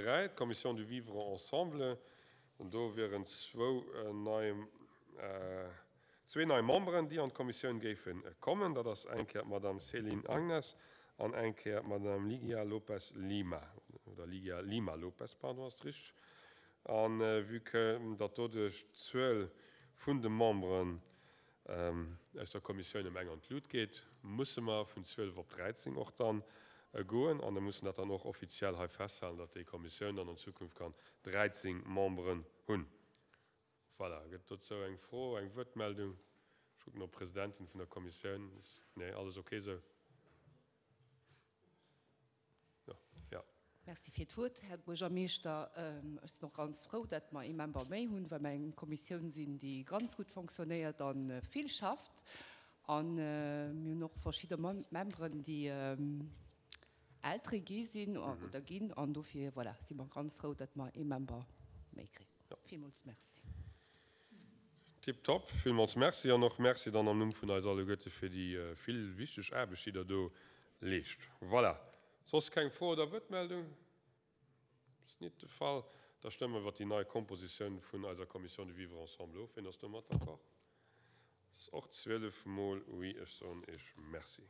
3, d'Commission du vivre ensemble. Do wieren zwou nei, zwee nei Memberen, déi an d'Kommissioun géife kommen. Dat ass eng Kéier d'Madame Céline Agnes an eng Kéier d'Madame Ligia Lopes Lima, oder Ligia Lima Lopes, pardon, ass richteg. A vue que datt doduerch d'Zuel vun de Memberen aus der Kommissioun ëm eng an d'Lut geet, musse mer vun 12 op 13 och dann goen. An da mussen dat dann och offiziell hei festhalen, datt déi Kommissioun dann an Zukunft kann 13 Memberen hunn. Voilà. Gëtt dozou eng Fro, eng Wuertmeldung? Ech kucken op d'Presidentin vun der Kommissioun. Nee, alles ok esou? Jo. Merci fir d'Wuert, Här Buergermeeschter. Ech sinn och ganz frou, datt mer ee Member méi hunn, well mer eng Kommissioun sinn, déi ganz gutt fonctionnéiert a vill schafft. A mir hunn och verschidde Memberen, déi Eltere gi sinn oder ginn. An dofir, voilà, si mer ganz frou, datt mer ee Member méi kréien. Villmools Merci. Tiptop. Villmools Merci an och Merci dann am Numm vun eis alleguerte fir déi vill wichteg Aarbecht, déi Der do leescht. Voilà. Soss keng Fro oder Wuertmeldung? Ass nit de Fall. Da stëmme mer iwwert déi nei Kompositioun vun eiser Commission du vivre ensemble of. Wien ass domat d'accord? Dat ass och 12 mol Oui. Ech soen Iech Merci.